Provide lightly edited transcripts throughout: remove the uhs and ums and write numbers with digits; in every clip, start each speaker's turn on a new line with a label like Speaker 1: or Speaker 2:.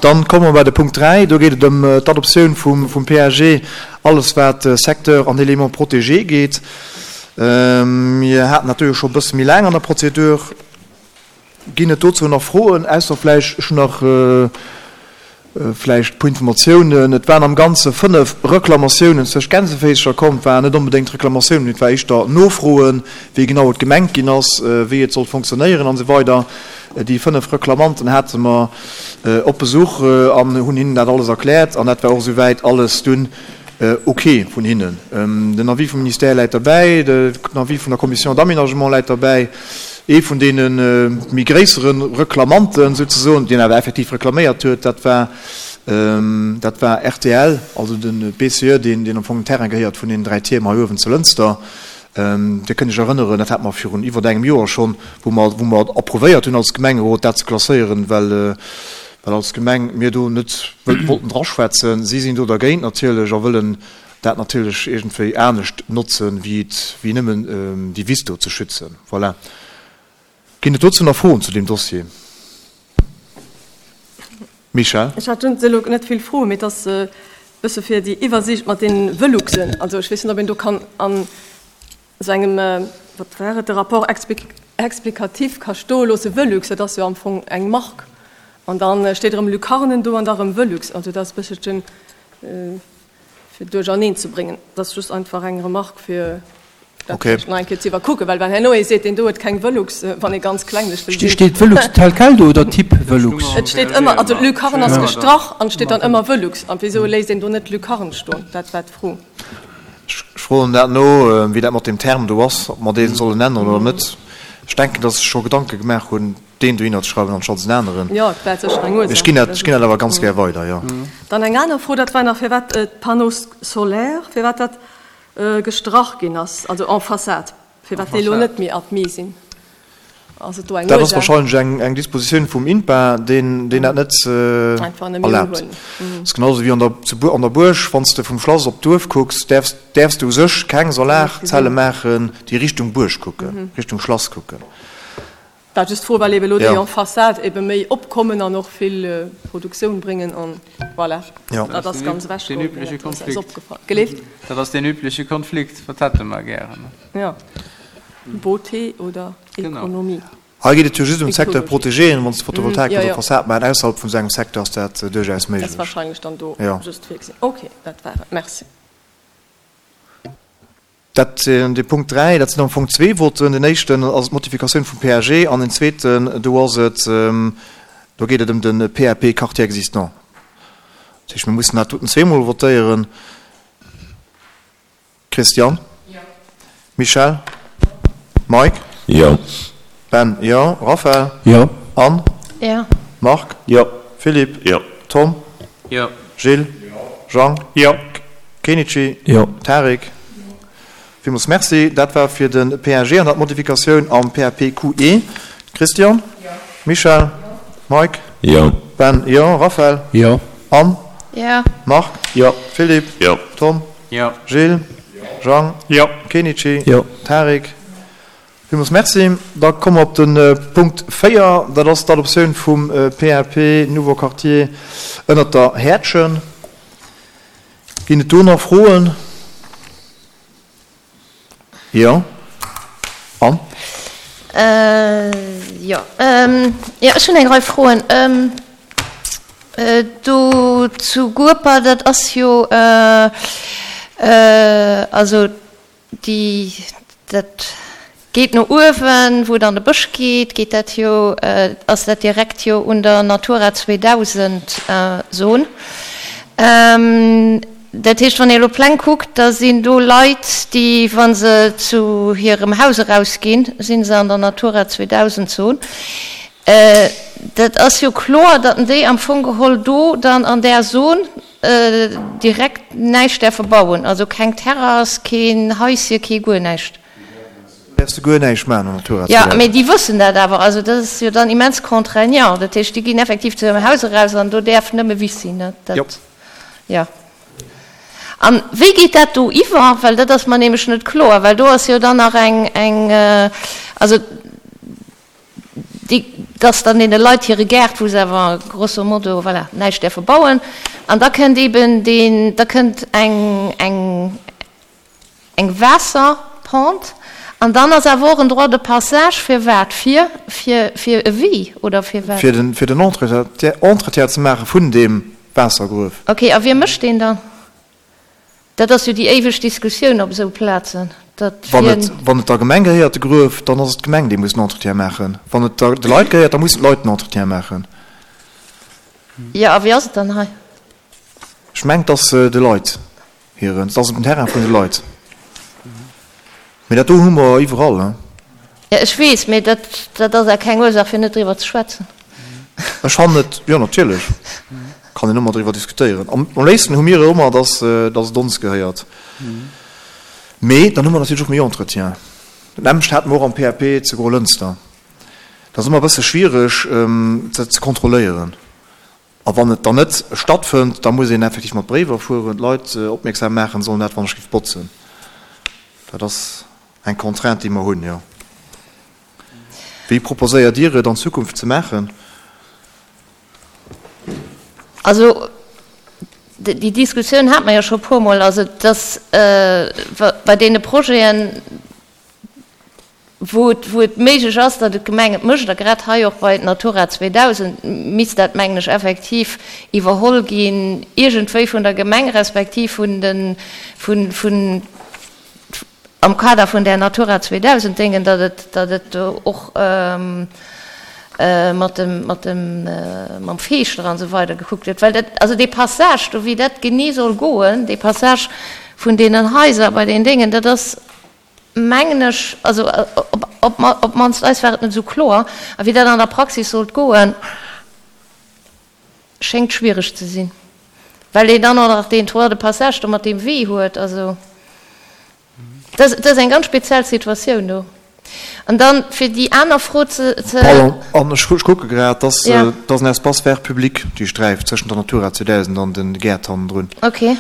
Speaker 1: Dann komme mer bei de Punkt 3. Do geet et ëm d'Adoptioun vum PAG, alles wat Secteur an Éléments protégés geet. Mir haten dat do jo scho e bësse méi laang an der Prozedur. Ginn et dozou nach Froen, ausser vläicht, ech hunn nach vläicht e puer Informatiounen. Et waren am Ganze 5 Reklamatiounen zwëscht Gänseféischer komm. Et waren net onbedéngt Reklamatiounen, mee et war éischter Nofroen, wéi genau et gemengt ginn ass, wéi et sollt fonctionnéieren an esou weider. Déi 5 Reklamanten hate mer op Besuch an hunn hinnen dat alles erkläert an dat war och esouwäit alles dunn ok vun hinnen. Den Avis vum Ministère läit derbäi, den Avis vun der Commission d'aménagement läit derbäi. Ee vun deene méi gréissere Reklamanten souzesoen, deen awer effektiv reklaméiert huet, dat war, dat war rtl, also de BCE, deen, deen am Fong den Terrain gehéiert vun deenen 3 Tierm hei uewen zu Lënster. Dir kënnt Iech erënneren, dat hate mer virun iwwert engem Joer schonn, wou mer, wou mer approuvéiert hunn als Gemengerot, dat ze klasséieren, well, well als Gemeng mir do net wëllt wollten draschwätzen. Si sinn do dergéint natierlech a wëllen dat natierlech iergendwéi anescht notzen, wéi et, wéi nëmmen déi Wiss do ze schützen. Voilà. Ginn et dozou nach Froen zu deem Dossier? Michèle?
Speaker 2: Ech hat just elo net vill Froen, mee et ass e bësse fir déi Iwwersiicht mat deene Veluxen. Also ech weess net, ob een do kann an esou engem, wat war et, de Rapport explicatif ka stoe loosse, Velux, dat ass jo am Fong eng Mark. An da steet erëm Lucarnen do an da erëm Velux. Also dat ass e bësselchen fir duercherneen ze bréngen. Dat ass just einfach eng Remarque, fir dat
Speaker 1: Okay.
Speaker 2: vläicht nach eng Kéier ze iwwerkucken, well wann herno ee seet, deen do huet keng Velux, wann ee ganz klenglech wëll sinn.
Speaker 3: Steet Velux tel quel do oder Typ Velux?
Speaker 2: Et steet ëmmer, also Lucarne ass gestrach an et steet dann ëmmer Velux. An wéisou léisst een do net Lucarne stoen? Dat war d'Fro.
Speaker 1: Ech froen dat no, wéi dat mat deem Term do ass, ob mer dee sollen änneren oder net. Ech denken, dass ech scho Gedanke gemaach hunn, deen dohinner ze schreiwen anstatt en aneren.
Speaker 2: Jo, et war sécher eng Ursaach.
Speaker 1: Ech ginn dat, ech ginn dat awer ganz gär weider, jo.
Speaker 2: Dann eng aner Fro, dat war nach firwat d'Panneaux solaires, firwat dat gestrach ginn ass, also en façade, firwat déi elo net méi admis sinn. Ass et do eng
Speaker 1: Dat ass
Speaker 2: Ursaach?
Speaker 1: wahrscheinlech eng, eng Dispositioun vum INPA, deen, deen dat net
Speaker 2: Einfach net méi
Speaker 1: erlaabt.
Speaker 2: uhuelen.
Speaker 1: Et ass genau esou wéi an der, zu Buer, an der Buerg, wann s de vum Schlass op d'Duerf kucks, däerfs, däerfs de u sech keng Solarzelle maachen, déi Richtung Buerg kucken, Richtung Schlass kucken.
Speaker 2: War just d'Fro, well eben elo déi en façade ebe méi opkommen an och vill Produktioun bréngen an voilà, dat ass ganz ewechgeholl ginn, dat ass eis opgefall. Geleeft?
Speaker 4: Dat ass deen übleche Konflikt, wat hätte mer gären?
Speaker 2: Jo, Beauté oder Ekonomie.
Speaker 1: Hei geet et jo just ëm d'Secteur protégé, an wann s de Photovoltaik kanns op Fassad maachen, ausserhalb vun esou engem Secteur ass dat duerchaus méiglech.
Speaker 2: Dat ass wahrscheinlech dann do just virgesinn. Ok, dat war et. Merci.
Speaker 1: Dat, de Punkt 3, dat sinn am Fong zwee Voten. Den éischten ass d'Modifikatioun vum PAG an den zweeten, do ass et, do geet et ëm de PAP Quartier existant. Dat heescht, mir mussen dat doten zweemol votéieren. Christian?
Speaker 2: Jo.
Speaker 1: Michel? Mike?
Speaker 5: Jo.
Speaker 1: Ben? Jo. Raphaël?
Speaker 3: Jo.
Speaker 1: Anne?
Speaker 6: Jo.
Speaker 1: Marc?
Speaker 5: Jo.
Speaker 1: Philippe?
Speaker 5: Jo.
Speaker 1: Tom?
Speaker 4: Jo.
Speaker 1: Gilles? Jean?
Speaker 4: Jo.
Speaker 1: Kenichi?
Speaker 3: Jo.
Speaker 1: Tarik? Villmools Merci. Dat war fir de PAG an der d'Modifikatioun am PAPQE. Christian?
Speaker 2: Jo.
Speaker 1: Michel? Mike?
Speaker 5: Jo.
Speaker 1: Ben? Jo. Raphaël?
Speaker 3: Jo.
Speaker 1: Anne?
Speaker 6: Jo.
Speaker 1: Marc?
Speaker 5: Jo.
Speaker 1: Philippe?
Speaker 5: Jo.
Speaker 1: Tom?
Speaker 4: Jo.
Speaker 1: Gilles? Jean?
Speaker 4: Jo.
Speaker 1: Kenichi?
Speaker 3: Jo.
Speaker 1: Tarik? Villmools Merci. Da komme mer op de Punkt 4, dat ass d'Adoptioun vum PAP Nouveau Quartier ënnert der Häerdchen. Ginn et do nach Froen? Jo. Anne?
Speaker 6: Jo, jo, ech hunn eng Rei Froen. Do zu Gueper, dat ass jo, also Déi, dat geet no uewen, wou et an de Bësch geet, geet dat jo, ass dat direkt jo un der Natura 2000 Zon. Dat heescht, wann ee elo Pläng kuckt, da sinn do Leit, déi, wa se zu hirem Haus erausginn, si se an der Natura 2000 Zon. Dat ass jo kloer, datt déi am Fong geholl do dann an där Zon Direkt näischt däerfe bauen, also keng Terrass, keen Haisje, kee guer näischt.
Speaker 1: Däerfs de guer näischt maachen an Natura
Speaker 6: 2000. Jo, mee déi wëssen dat awer, also dat ass jo dann immens contraignant. Dat heescht, déi ginn effektiv zu hirem Haus eraus an do däerf nëmme Wiss sinn, ne?
Speaker 1: Jo.
Speaker 6: Dat, jo. An wéi geet dat do iwwer? Well dat ass mer nämlech net kloer, well do ass jo dann nach eng, eng, also. Dass dann deene Leit hire Gaart, wou se awer grosso modo, voilà, näischt däerfe bauen, an da kënnt eeben deen, da kënnt eng, eng, eng Waasserpente an dann ass awer och en Droit de passage fir wat? Fir, fir, fir e Wee oder fir wat?
Speaker 1: Fir den, fir den Entretien ze maache vun deem Waassergruef.
Speaker 6: Okay, a wie mécht deen dann? Dat ass jo déi éiweg Diskussioun op esou Plazen, datt
Speaker 1: Wann et, wien. wann et der Gemeng gehéiert, de Gruef, dann ass et d'Gemeng, déi muss den Entretien maachen. Wann et der, de Leit gehéiert, da mussen d'Leit den Entretien maachen.
Speaker 6: Jo, a wéi ass et dann hei?
Speaker 1: Ech mengen, et ass de Leit hiren, et ass op dem Terrain vun de Leit. Mee dat do hu mer iwwerall, hein.
Speaker 6: Jo, ech weess, mee dat, dat ass awer keng Ursaach, fir net driwwer ze schwätzen.
Speaker 1: Ech fannen et, jo, natierlech kann een ëmmer driwwer diskutéieren. Am léifsten hu mir et ëmmer, dass, dass et ons gehéiert. Mee dann hu mer natierlech och méi Entretien. Dat nämmlecht hate mer och am PAP zu Grolënster. Dat ass ëmmer e bësse schwiereg, dat ze kontrolléieren. A wann et dann net stattfënnt, da muss een effektiv mat Bréiwer fueren, d'Leit opmierksam maachen, sollen dat wann ech géif botzen. Dat ass eng Contrainte, déi mer hunn, jo. Wéi proposéiert Dir et an Zukunft ze maachen?
Speaker 6: Also, déi Diskussioun hate mer jo scho e puermol. Also, dass bei deene Projeten, wou et, wou et méiglech ass, datt et d'Gemeng et mécht, a grad hei och bei Natura 2000 misst dat, mengen ech, effektiv iwwerholl ginn, iergendwéi vun der Gemeng respektiv vun de, vun, vun, am Kader vun där Natura 2000 Déngen, datt et, datt et do och mat dem, mat dem, mam Feeschter an esou weider gekuckt gëtt. Well dat, also dee Passage do, wéi dat genee soll goen, dee Passage vun deenen Haiser bei den Déngen, dat ass, mengen ech, also op d'mannst eis war et net esou kloer, a wéi dat an der Praxis sollt goen, schéngt schwiereg ze sinn, well een dann och nach deen Droit de passage do mat deem Wee huet. Also dat ass eng ganz speziell Situatioun do. An dann, fir déi aner Fro ze.
Speaker 1: Pardon, an ech kucke grad, dass dat ass en Espace vert public, déi Sträif tëschent der Natura 2000 an de Gäert hannendrun.
Speaker 6: Okay.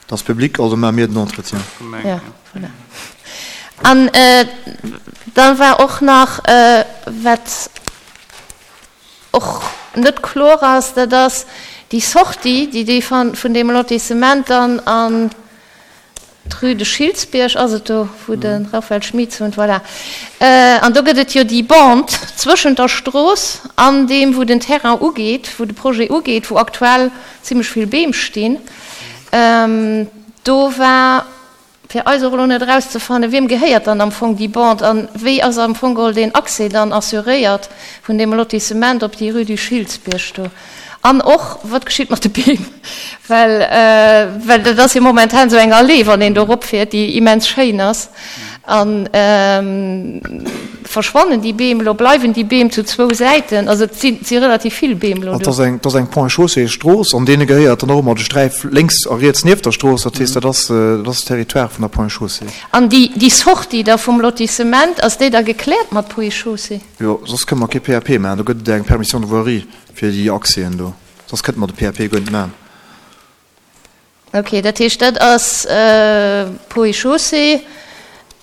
Speaker 1: Dat ass public, also maache mir den Entretien.
Speaker 6: Ja, voilà. An da war och nach, wat och net kloer ass, dat ass déi Sortie, déi déi vun deem Lotissement dann an d'Rue de Schiltzbierg ass et do, wou de Raphaël Schmitz wunnt, voilà. An do gëtt et jo déi Bande zwëschent der Strooss an deem, wou den Terrain ugeet, wou de Projet ugeet, wou aktuell zimlech vill Beem stinn. Do war fir eis och elo net erauszefannen, wiem gehéiert dann am Fong déi Bande an wéi ass am Fong geholl deen Accès dann assuréiert vun deem Lotissement op déi Rue du Schiltzbierg do. An och, wat geschitt mat de Beem? Well, well dat ass jo momentan esou eng Allee, wann een do eropfiert, déi immens schéin ass. A verschwannen déi Beem elo? Bleiwen déi Beem zu zwou Säiten? Also et si relativ vill Beem elo
Speaker 1: do. Et ass eng Ponts et Chaussées Strooss, an deene gehéiert dann och ëmmer de Sträif lénks a riets nieft der Strooss. Dat heescht, dat ass dat ass Territoire vun der Ponts et Chaussées.
Speaker 6: An déi déi Sortie da vum Lotissement, ass déi da gekläert mat Ponts et Chaussées?
Speaker 1: Jo, soss kënne mer kee PAP maachen. Do gëtt et eng Permission de voirie fir déi Accèsen do. Soss kënnte mer de PAP guer net maachen.
Speaker 6: Ok, dat heescht, dat ass Ponts et Chaussées.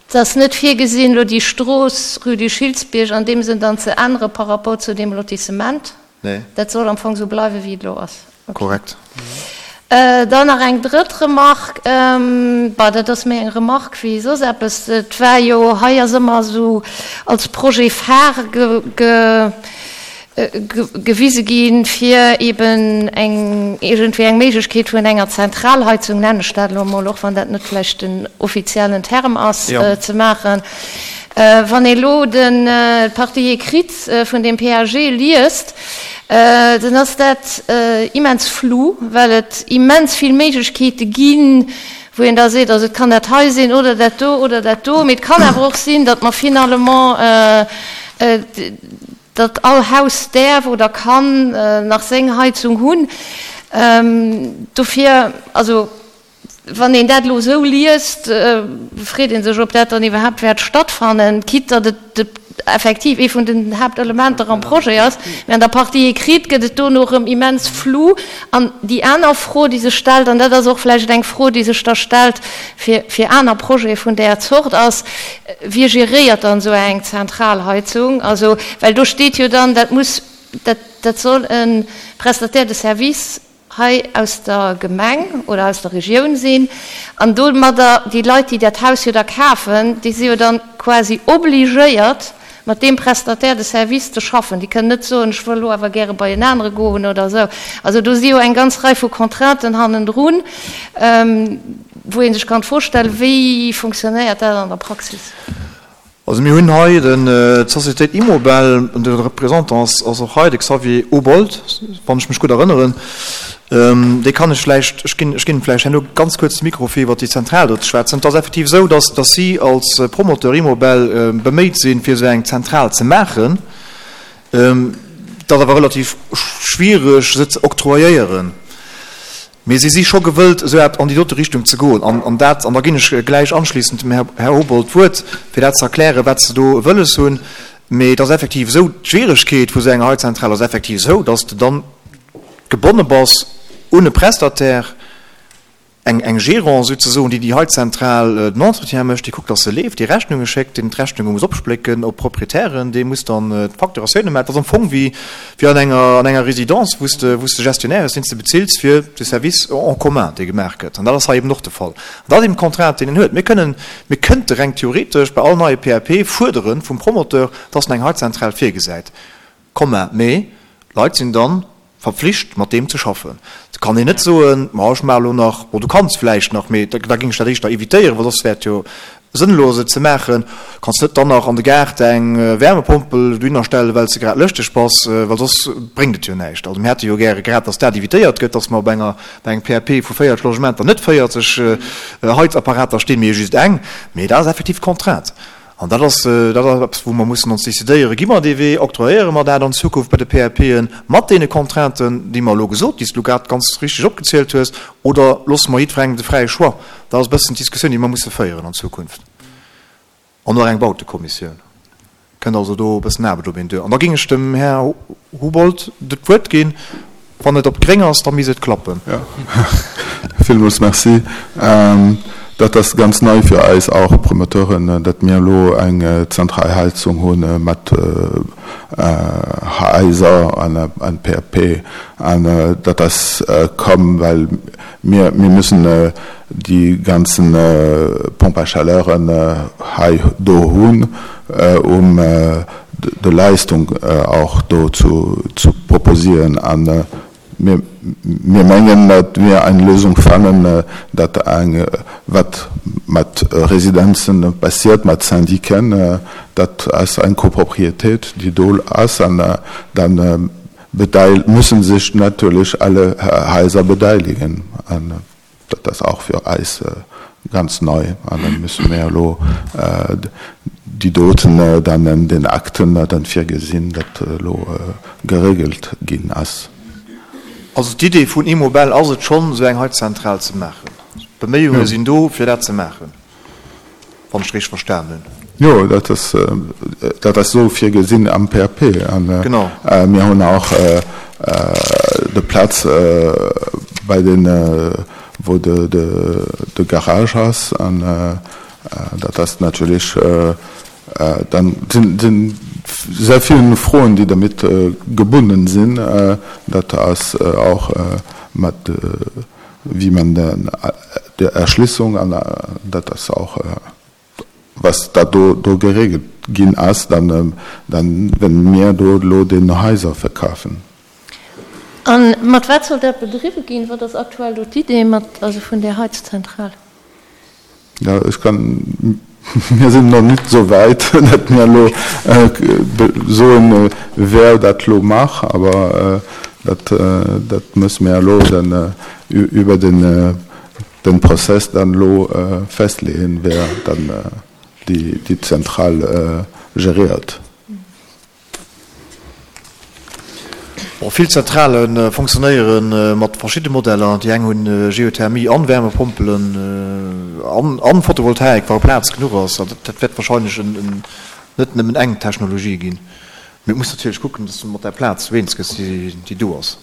Speaker 6: Et ass net virgesinn, elo déi Strooss Rue du Schiltzbierg an deem Sënn dann ze ännere par rapport zu deem Lotissement.
Speaker 1: Nee.
Speaker 6: Dat soll am Fong esou bleiwen, wéi et elo ass.
Speaker 1: Ok. Korrekt.
Speaker 6: Dann nach eng drëtt Remarque, bon, dat ass méi eng Remarque wéi soss eppes. Et war jo, hei ass ëmmer esou als Projet phare ge, gewise ginn, fir eben eng, iergendwéi eng Méiglechkeet vun enger Zentralheizung, nennen ech dat elo emol, och wann dat net vläicht den offiziellen Term ass, ze maachen. Wann ee elo d'Partie écrite vun deem PAG liest, dann ass dat immens flou, well et immens vill Méiglechkeete ginn, wou een da seet, also et kann dat hei sinn oder dat do oder dat do, mee et kann awer och sinn, datt mer finalement datt all Haus däerf oder kann nach seng Heizung hunn. Dofir, also wann een dat elo esou liest, freet ee sech, ob dat dann iwwerhaapt wäert stattfannen, quitte datt et de. effektiv ee vun den Haaptelementer am Projet ass, mä an der Partie écrite gëtt et dono erëm immens flou. An déi aner Fro, déi sech stellt, an dat ass och vläicht eng Fro, déi sech da stellt fir, fir aner Projete vun där Zort, ass, Wie geréiert dann esou eng Zentralheizung? Also, well do steet jo dann, dat muss, dat, dat soll e Prestataire de service hei aus der Gemeng oder aus der Regioun sinn, an domadder déi Leit, déi dat Haus jo da kafen, déi si jo dann quasi obligéiert, mat deem Prestataire de service ze schaffen. Déi kënnen net soen, ech wëll elo awer gäre bei en anere goen oder esou. Also do si jo eng ganz Rei vu Contrainten hannendrun, wou ee sech kann d'Fro stellen, Wéi funktionéiert dat an der Praxis?
Speaker 1: Also mir hunn hei d'Sociétéit Immobel, de Représentant ass och hei, de Xavier Obold, wann ech mech gutt erënneren. Dee kann ech vläicht, ech ginn, ech ginn him vläicht herno ganz kuerz de Mikro fir iwwert déi Zentral do ze schwätzen. Et ass effektiv esou, dass, dass si als Promoteur Immobel beméit sinn, fir esou eng Zentral ze maachen. Et ass awer relativ schwiereg, se ze octroyéieren. Mee si si scho gewëllt, esou eppes an déi dote Richtung ze goen. An, an dat, an da ginn ech gläich anschließend dem Här, Här Obold d'Wuert, fir dat ze erklären, wat se do wëlles hunn. Mee et ass effektiv esou, d'Schwieregkeet vu esou enger Heizentral ass effektiv esou, dass de dann gebonne bass un e Prestataire, eng, eng Gérance souzesoen, déi déi Heizentral den Entretien mécht, déi kuckt, dass se leeft, déi Rechnunge schéckt, deen d'Rechnunge muss opsplécken op d'Proprietären, dee muss dann d'Facturatioune maachen. Et ass am Fong wéi, wéi an enger, an enger Résidence, wou s de, wou s de Gestionnaire hues, deen s de bezills fir de Service en commun, dee gemaach gëtt. An dat ass hei eben och de Fall. An dat ass eben d'Contrainte, déi en huet. Mir kënnen, mir kënnte reng theoretesch bei all neie PAP fuerdere vum Promoteur, dass en eng Heizentral virgesäit. Komma, mee d'Leit sinn dann verpflicht mat deem ze schaffen. Et kann een net soen, ma ech maache lo nach, bon du kanns vläicht nach, mee da géing ech dat éischter évitéieren, well soss wär et jo sënnlos et ze maachen. Du kanns net dann nach an de Gaart eng Wärmepompel dohinner stellen, well s de grad lëschteg bass, well soss bréngt et jo näischt. Also mir hätte jo gäre grad, datt dat évitéiert gëtt, datt mer op enger, bei engem PAP vu 40 Logementer net 40 Heizapparater stinn, mee just eng. Mee dat ass effektiv d'Contrainte. An dat ass, dat ass eppes, wou mer mussen ons décidéieren, Gi mer dee Wee, octroyéiere mer dat an Zukunft bei de PAPen mat deene Contrainten, déi mer elo gesot, déi s de elo grad ganz richtig opgezielt hues, oder loosse mer jiddwerengem de fräie Choix? Dat ass e bëssen d'Diskussioun, déi mer musse féieren an Zukunft. An och eng Bautekommissioun kënnt also do e bëssen Aarbecht op een duer. An da géing ech dem Här Houbold d'Wuert ginn. Wann et op gréng ass, da misst et klappen.
Speaker 5: Jo, villmools Merci. Dat ass ganz nei fir eis och Promoteuren, datt mir elo eng Zentralheizung hu mat Haiser an PAP. An dat ass komm, well mir mir müssen déi ganzen Pompes à chaleuren hei do hunn, um de Leistung och do zu proposieren. A mir mengen, datt mir eng Lösung fannen, datt eng, wat mat Residenzen passiert, mat Syndiquen, dat ass eng Copropriétéit, déi do ass, an dann müssen sech natierlech alle Haiser beteiligen. Dat ass och fir eis ganz nei an da musse mir elo déi doten dann an den Akten dann virgesinn, datt elo geregelt ginn ass.
Speaker 1: Also d'Idee vun Immobel ass et schonn, esou eng Heizzentral ze maachen. D'Beméiunge sinn do, fir dat ze maachen. Wann ech richteg verstan hunn.
Speaker 5: Jo, dat ass, dat ass esou virgesinn am PAP. An mir hunn och de Plaz bei den, wou de, de Garage ass. An dat ass natierlech, dann sinn sehr vill Froen, déi dermit gebunden sinn. Dat ass och mat wie man der Erschlissung an dat ass och was da do do geregelt ginn ass, dann dann wenn mir do elo den Haiser verkafen.
Speaker 6: A mat wat soll dat bedriwwe ginn? Wat ass aktuell do d'Idee mat, also vun där Heizzentral?
Speaker 5: Jo, ech kann, mir sinn nach nit esou wäit, datt mir elo soen, wer dat elo maach, awer dat, dat musse mir elo dann iwwer den, den Prozess dann elo festleeën, wer dann déi, déi Zentral gériert.
Speaker 1: Bon, vill Zentrale fonctionnéiere mat verschidde Modeller. Déi eng hunn Geothermie an Wärmepompelen an Photovoltaik, wa Plaz genuch ass. Also dat wäert wahrscheinlech en. net nëmmen eng Technologie ginn. Mee et muss natierlech kucken, dass du mat där Plaz eens gëss, déi do ass.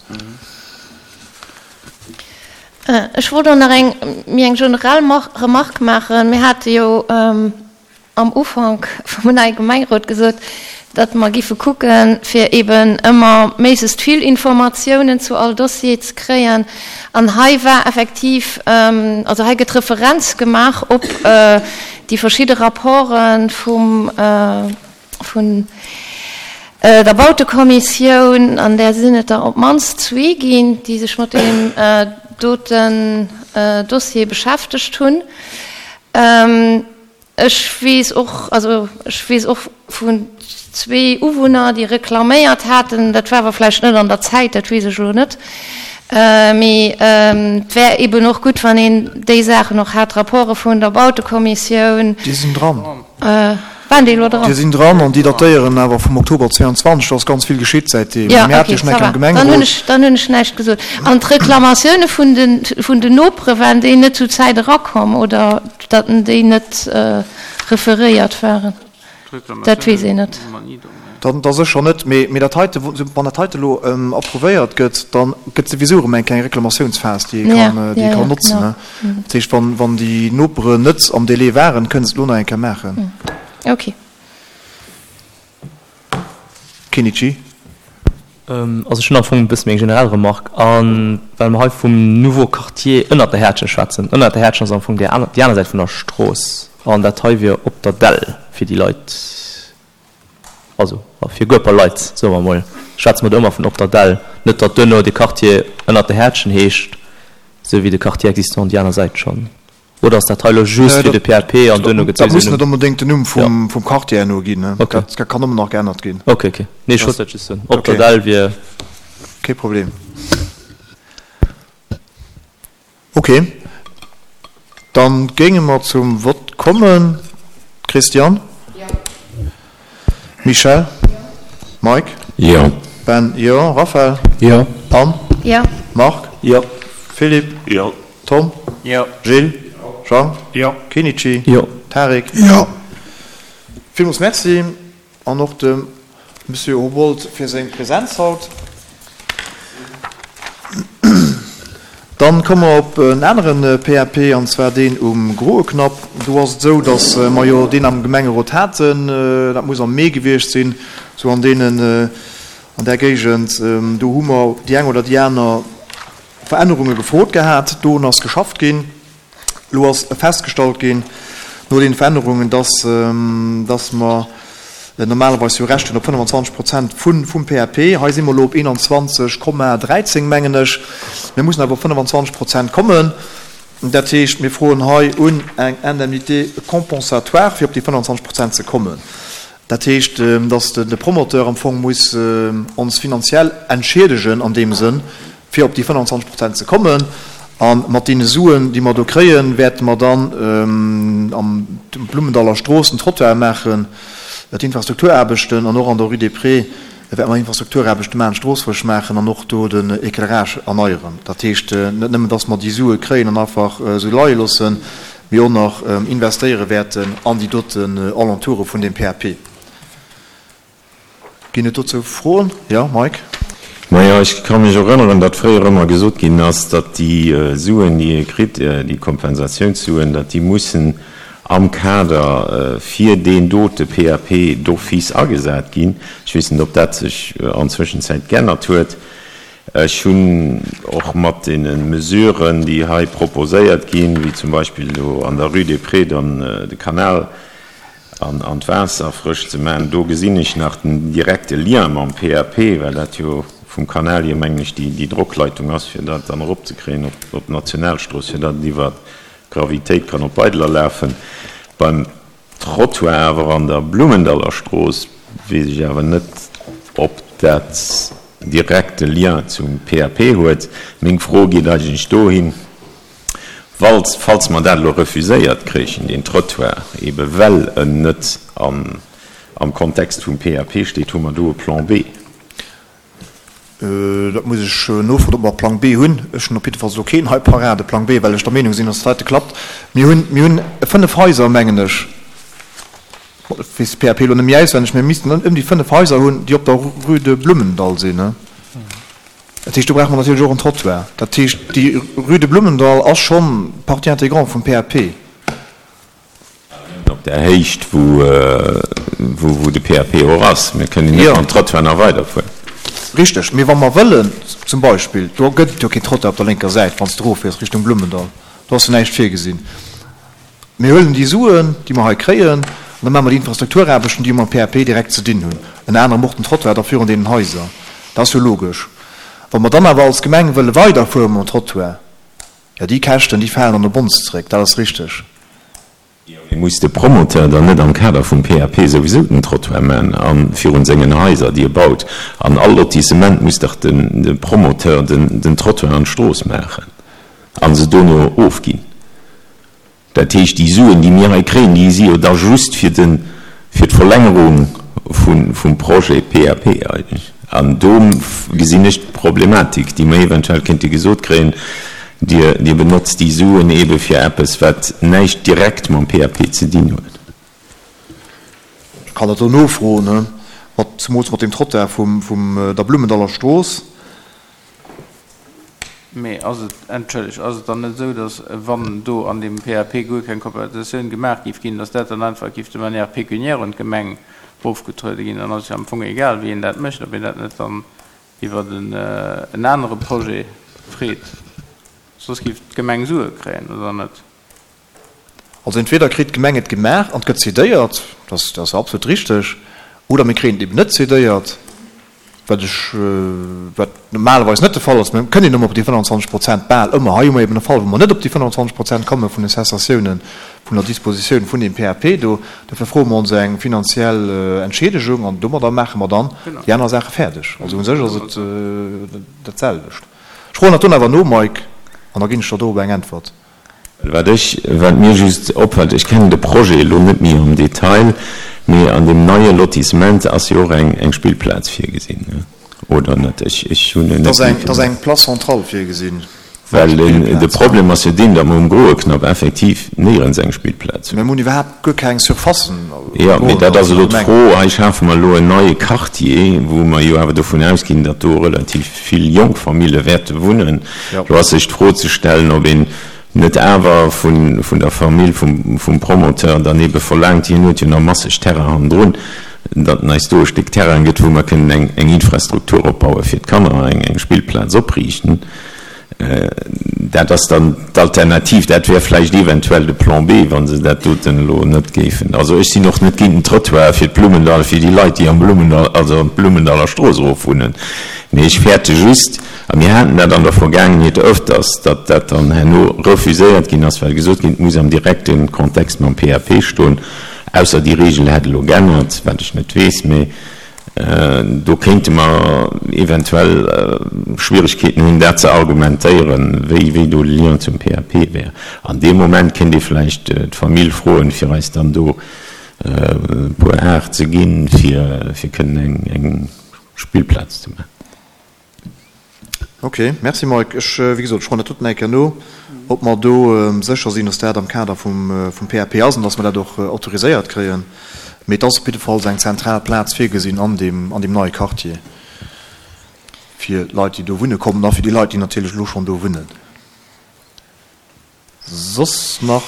Speaker 6: Ech wollt och nach eng méi eng generell Remarque maachen. Mir hate jo am Ufank vum neie Gemengerot gesot, datt mer giffe kucken, fir eben ëmmer méiglechst vill Informatiounen zu all Dossier ze kréien. An hei war effektiv, also hei gëtt Referenz gemaach op déi verschidde Rapporte vum, vun der Bautekommissioun, an där sinn et der op d'mannst zwee ginn, déi sech mat deem doten Dossier beschäftegt hunn. Ech weess och, also ech weess och vun zwee Uwunner, déi reklaméiert haten, dat war awer vläicht net an der Zäit, dat weess ech elo net, mee et wär eben och gutt, wann een déi Saachen och hat, d'Rapporte vun der Bautekommissioun.
Speaker 1: Déi sinn dran.
Speaker 6: Waren déi elo dran?
Speaker 1: Déi sinn dran an déi datéieren awer vum Oktober 22. Do ass ganz vill geschitt säitdeem.
Speaker 6: Jo, ok, ça va. Dann hunn ech, dann hunn ech näischt gesot. An d'Reklamatioune vun de, vun den Nopere, waren déi net zu Zäit erakomm oder datt déi net referéiert waren? Dat weess een net.
Speaker 1: Dann da sécher net. Mee, mee dat heite, wann dat heite elo approuvéiert gëtt, da gëtt souwisou erëm eng kleng Reklamatiounsphas, déi ee kann, déi ee kann notzen. Dat heescht, wann, wann déi Noperen net am Délai waren, kënnen se et elo nach eng Kéier maachen.
Speaker 6: Ok.
Speaker 1: Kinnici.
Speaker 7: Also ech hunn am Fong e bësse méi eng generell Remarque. A well mer hei vum Nouveau Quartier ënnert der Häertchen schwätzen, ënnert der Häertchen ass am Fong déi aner, déi aner Säit vun der Strooss an dat hei wier op der Dell fir déi Leit, also fir guer paar Leit, soe mer emol, schwätze mer do ëmmer vun op der Dell, net datt duerno de Quartier ënnert der Häertchen heescht, esou wéi de Quartier existant déi aner Säit schonn. Oder ass dat hei elo just fir de PAP an duerno gëtt
Speaker 1: Dat muss net onbedéngt den Numm vum Quartier herno ginn. Dat kann ëmmer nach geännert ginn.
Speaker 7: Ok, ok. Nee, ech wollt dat just soen. Op der Dell wier.
Speaker 1: Kee Problem. Ok, dann géinge mer zum Vott kommen. Christiane?
Speaker 6: Jo.
Speaker 1: Michèle?
Speaker 6: Jo.
Speaker 1: Mike?
Speaker 5: Jo.
Speaker 1: Ben? Jo. Raphaël?
Speaker 3: Jo.
Speaker 1: Anne?
Speaker 6: Jo.
Speaker 1: Marc?
Speaker 7: Jo.
Speaker 1: Philippe?
Speaker 5: Jo.
Speaker 1: Tom?
Speaker 4: Jo.
Speaker 1: Gilles? Jean?
Speaker 4: Jo.
Speaker 1: Kenichi?
Speaker 3: Jo.
Speaker 1: Tarik?
Speaker 5: Jo.
Speaker 1: Villmools Merci an och dem Monsieur Houbolt fir seng Präsenz haut. Dann komme mer op en anere PAP, an zwar deen um Groeknapp. Do ass et esou, datt mer jo deen am Gemengerot haten, dat muss am Mee gewiescht sinn, sou an deenen, an där Géigend. Do hu mer déi eng oder déi aner Verännerunge gefrot gehat. Dorun ass geschafft ginn. Elo ass festgestallt ginn, no deene Verännerungen, dass, dass mer normalerweis jo Recht hunn op 25 Prozent vum PAP. Hei si mer elo op 21,13, mengen ech. Mir mussen awer op 25 Prozent kommen. Dat heescht, mir froen hei un eng Indemnité compensatoire, fir op déi 25 Prozent ze kommen. Dat heescht, dass de Promoteur am Fong muss ons finanziell entschiedegen an deem Sënn, fir op déi 25 Prozent ze kommen. A mat deene Suen, déi mer do kréien, wäerte mer dann am Blummendaller Strooss den Trottoir maachen, d'Infrastrukturaarbechten an och an der Rue des Prés wäerte mer Infrastrukturaarbechte maachen, d'Strooss frësch maachen an och do den Éclairage erneieren. Dat heescht, net nëmmen, dass mer déi Sue kréien an einfach esou leie loossen, mee och nach investéiere wäerten an déi doten Alentoure vun deem PAP. Ginn et dozou Froen? Jo, Mike.
Speaker 8: Majo, ech ka mech erënneren, datt fréier ëmmer gesot ginn ass, datt déi Suen, déi ee kritt, déi Kompensationssuen, datt déi mussen am Kader fir deen dote PAP d'office agesat ginn. Ech weess net, ob dat sech an Zwëschenzäit geännert huet. Ech hunn och mat deene Mesuren, déi hei proposéiert ginn, wéi zum Beispill do an der Rue des Prés dann de Kanal, an d'Waasser frësch ze maachen. Do gesinn ech nach den direkte Lien mam PAP, well dat jo vum Kanal hier, mengen ech, déi Drockleitung ass, fir dat dann eropzekréien op d'Nationalstrooss, fir datt et iwwer d'Gravitéit kann op Beideler lafen. Beim Trottoir awer an der Blummendallerstrooss weess ech awer net, ob dat direkte Lien zum PAP huet. Meng Fro geet eigentlech dohin, Walls, falls mer dat elo refuséiert kréichen, deen Trottoir, ebe well en net am, am Kontext vum PAP steet, hu mer do e Plan B?
Speaker 1: Dat muss ech nofroen, ob mer e Plang B hunn. Ech hunn op jiddefalls elo keen hei parat, e Plang B, well ech der Meenung sinn, dass dat heite klappt. Mir hunn, mir hunn 5 Haiser, mengen ech. Ech weess de PAP elo net méi auswenneg, mä mir missten ëm déi 5 Haiser hunn, déi op der Rue de Blummendall sinn. Dat heescht, do brauche mer natierlech och en Trottoir. Dat heescht, déi Rue de Blummendall ass schonn Partie intégrante vum PAP.
Speaker 8: Op där Héicht, wou de PAP och ass. Mir kënnen net mam Trottoir nach weiderfueren.
Speaker 1: Richteg. Mee wa mer wëllen, zum Beispill, do gëtt et jo keen Trottoir op der lénker Säit, wann s de eroffiers Richtung Blummendall, do ass jo näischt virgesinn. Mir huelen déi Suen, déi mer hei kréien, an da maache mer déi Infrastrukturaarbechten, déi jo mam PAP direkt ze dinn hunn, ënner anerem och den Trottoir da virun deenen Haiser. Dat ass jo logesch. Wa mer dann awer als Gemeng wëlle weiderfuere mam Trottoir, jo, déi Käschten, déi falen dann op ons zréck, dat ass richteg.
Speaker 8: Jo, mee muss de Promoteur dann net am Kader vum PAP souwisou den Trottoir maachen a virun sengen Haiser, déi e baut? An all Lotissement muss dach de Promoteur den Trottoir an d'Strooss maachen a se dono ofginn? Dat heescht, déi Suen, déi mir hei kréien, déi si jo da just fir de, fir d'Verlängerung vum Projet PAP eigentlech. An do gesinn ech d'Problematik, déi mer eventuell kéinte gesot kréien, Dir, Dir benotzt déi Suen eebe fir eppes, wat näischt direkt mam PAP ze dinn huet.
Speaker 1: Ech kann dat do nofroen, mat, zemools mat deem Trottoir vum, vum der Blummendaller Strooss.
Speaker 4: Mee ass et, entschëllegt, ass et dann net esou, datt, wann do an deem PAP guer keng Kompensatioun gemaach géif ginn, datt dat dann einfach géif de manière pécuniaire un d'Gemeng erofgetruede ginn? Dann ass et jo am Fong egal, wéi een dat mécht, ob een dat net dann iwwer en anere Projet freet. Soss géif d'Gemeng Sue kréien, oder net?
Speaker 1: Also entweder kritt d'Gemeng et gemaach an et gëtt cédéiert, dat ass absolut richteg, oder mir kréien et eben net cédéiert, wat ech, wat normalerweis net de Fall ass. Mir kënnen ëmmer op déi 25 Prozent, bal ëmmer. Hei hu mer eben e Fall, wou mer net op déi 25 Prozent komme vun de Cessatiounen, vun der Dispositioun vun deem PAP do. Dofir froe mer ons eng finanziell Entschiedegung an domadder maache mer dann déi aner Saache fäerdeg. Also u sech ass et dat selwecht. Ech froen dat dunn awer no, Mike, an da ginn ech der dorop eng Äntwert.
Speaker 8: Wat ech, wat mir just opfält, ech kennen de Projet elo net méi am Detail, mee an deem neie Lotissement ass jo och eng, eng Spillplaz virgesinn, oder net? Ech, ech hunn en
Speaker 1: net méi. Et ass eng Place centrale virgesinn.
Speaker 8: Well de Problem ass jo deen, datt mer um Groeknapp effektiv néierens eng Spillplaz
Speaker 1: hunn. Mir hunn iwwerhaapt guer keng Surfacen
Speaker 8: am Groeknapp. Jo, mee dat ass elo d'Fro. Hei schafe mer elo en neie Quartier, wou mer jo awer dovun ausginn, datt do relativ vill jonk Famille wäerte wunnen. Do ass sech d'Fro ze stellen, ob een net awer vun der Famill vum Promoteur dann eebe verlaangt, hien huet jo nach masseg Terrain hannendrun, datt en eis do e Stéck Terrain gëtt, wou mer kënnen eng Infrastruktur opbaue fir d'Kanner, eng Spillplaz opriichten. Dat ass dann d'Alternativ. Dat wär vläicht eventuell de Plan B, wa se dat doten elo net géifen. Also ech sinn och net géint den Trottoir fir d'Blummendall, fir déi Leit, déi am Blummendall, also an d'Blummendaller Strooss erof wunnen. Mee ech fäerte just, a mir haten dat an der Vergaangenheet öfters, datt dat dann herno refuséiert ginn ass, well gesot ginn, et muss am direkte Kontext mam PAP stoen, ausser déi Regel hätt elo geännert, wat ech net weess. Mee do kéinte mer eventuell Schwierigkeeten hunn, dat ze argumentéieren, wéi, wéi do de Lien zum PAP wär. An deem Moment kéint ee vläicht d'Famill froen, fir eis dann do e puer Ar ze ginn, fir, fir kënnen eng, eng Spillplaz ze maachen.
Speaker 1: Ok, merci Mike. Ech, wéi gesot, ech froen dat doten eng Kéier no, ob mer do sécher sinn, dass dat am Kader vum PAP ass an dass mer dat och autoriséiert kréien. Mee et ass op jiddefalls eng zentral Plaz virgesinn an deem, an deem neie Quartier fir d'Leit, déi do wunne kommen a fir déi Leit, déi natierlech elo schonn do wunnen. Soss nach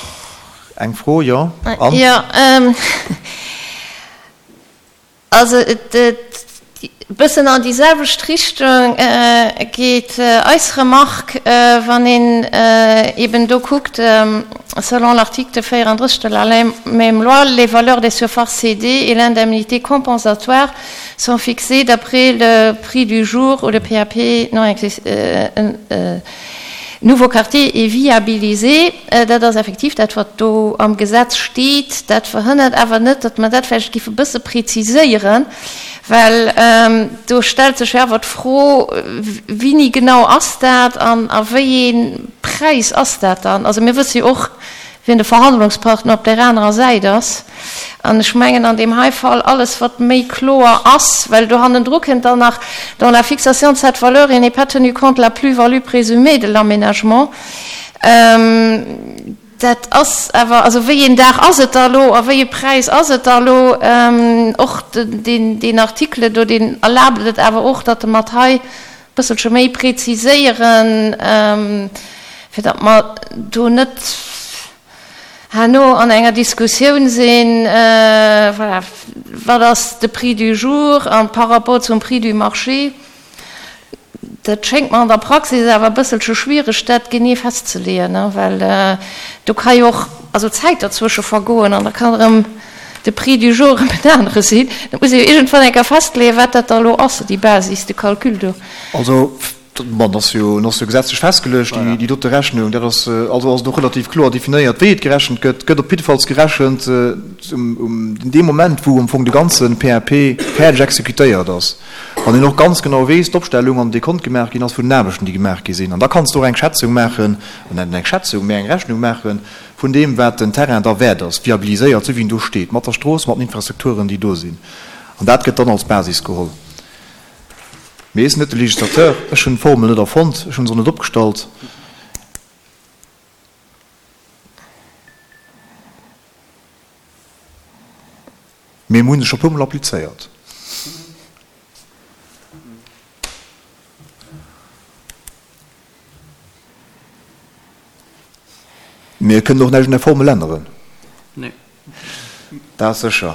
Speaker 1: eng Fro? Jo,
Speaker 6: Anne? Jo. Also et bëssen an déi selwecht Richtung geet eis Remarque, wann een eben do kuckt, selon l'article 34 de la même loi, les valeurs des surfaces cédées et l'indemnité compensatoire sont fixées d'après le prix du jour où le PAP non nouveau quartier est viabilisé. Dat ass effektiv dat, wat do am Gesetz steet. Dat verhënnert awer net, datt mer dat vläicht géife bësse preziséieren, well do stellt sech jo awer d'Fro, Wéini genau ass dat an a wéi ee Präis ass dat dann? Also mir wësse jo och, wien de Verhandlungspartner op där anerer Säit ass. An ech mengen an deem hei Fall, alles wat méi kloer ass, well do hannendru kënnt dann nach, dans la fixation de cette valeur, il n'est pas tenu compte de la plus-value présumée de l'aménagement. Dat ass awer, also wéi een Dag ass et da elo a wéi e Präis ass et da elo? Och deen Article do, deen erlaabt et awer och, datt mer et hei e bësselche méi preziséieren, fir datt mer do net herno an enger Diskussioun sinn, voilà, wat ass de Prix du jour a par rapport zum Prix du marché. Dat schéngt mer an der Praxis awer e bësselche schwiereg, dat genee festzeleeën, well do ka jo och also Zäit derzwësche vergoen an da kann erëm de Prix du jour erëm en anere sinn. Dat muss ee jo iergendwann eng Kéier festleeën, wat dat da elo ass, déi Basis de calcul do.
Speaker 1: Also, bon, dat ass jo, dat ass jo gesetzlech festgeluecht, déi, déi dote Rechnung. Dat ass, also ass et och relativ kloer definéiert, wéi et gerechent gëtt. Et gëtt op jiddefalls gerechent um, um deem Moment, wou am Fong de ganze PAP fäerdeg exekutéiert ass. Wann een och ganz genau weess, d'Opstellung an de Dekont gemaach ginn ass vun den Aarbechten, déi gemaach gi sinn. An da kanns de och eng Schätzung maachen, net eng Schätzung, mä eng Rechnung maache vun deem, wat den Terrain da wäert ass, viabiliséiert, esou wéi en do steet, mat der Strooss, mat den Infrastrukturen, déi do sinn. An dat gëtt dann als Basis geholl. Mee ech sinn net de Législateur, ech hunn d'Formel net erfonnt, ech hunn se och net opgestallt. Mee mir hunn se scho puermol applizéiert. Mir kënnen och näischt un der Formel änneren.
Speaker 4: Nee.
Speaker 1: Dat ass sécher.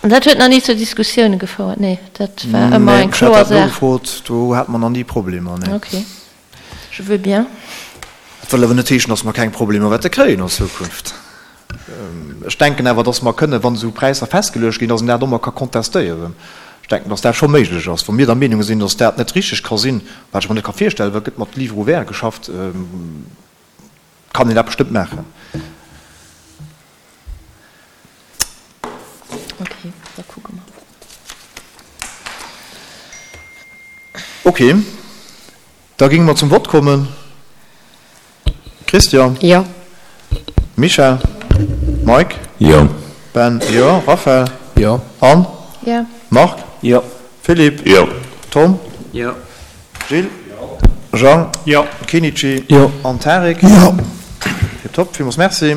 Speaker 6: Dat huet nach ni zu Diskussioune gefouert? Nee, dat war ëmmer eng kloer Saach.
Speaker 1: Nee, ech hat dat nogefrot, do hate mer nach ni Problemer, nee.
Speaker 6: Okay. Je veux bien.
Speaker 1: Dat wëll awer net heeschen, dass mer keng Problemer wäerte kréien an Zukunft. Ech denken awer, dass mer kënnen, wann esou Präisser festgeluecht ginn, dass een dat och mol ka kontestéieren. Ech denken, dass dat scho méiglech ass. Wa mir der Meenung sinn, dass dat net richteg ka sinn, wat ech mer net ka virstellen, well et gëtt mat Livre ouvert geschafft, kann een dat bestëmmt maachen.
Speaker 6: Okay, da kucke mer.
Speaker 1: Okay, da géinge mer zum Vott kommen. Christian?
Speaker 6: Jo.
Speaker 1: Michel? Mike?
Speaker 8: Jo.
Speaker 1: Ben? Jo. Raphaël?
Speaker 3: Jo.
Speaker 1: Anne?
Speaker 6: Jo.
Speaker 1: Marc?
Speaker 7: Jo.
Speaker 1: Philippe?
Speaker 8: Jo.
Speaker 1: Tom?
Speaker 4: Jo.
Speaker 1: Gilles? Jo. Jean?
Speaker 3: Jo.
Speaker 1: Kenichi?
Speaker 3: Jo.
Speaker 1: An Tarik?
Speaker 5: Jo.
Speaker 1: Tiptop, villmools Merci.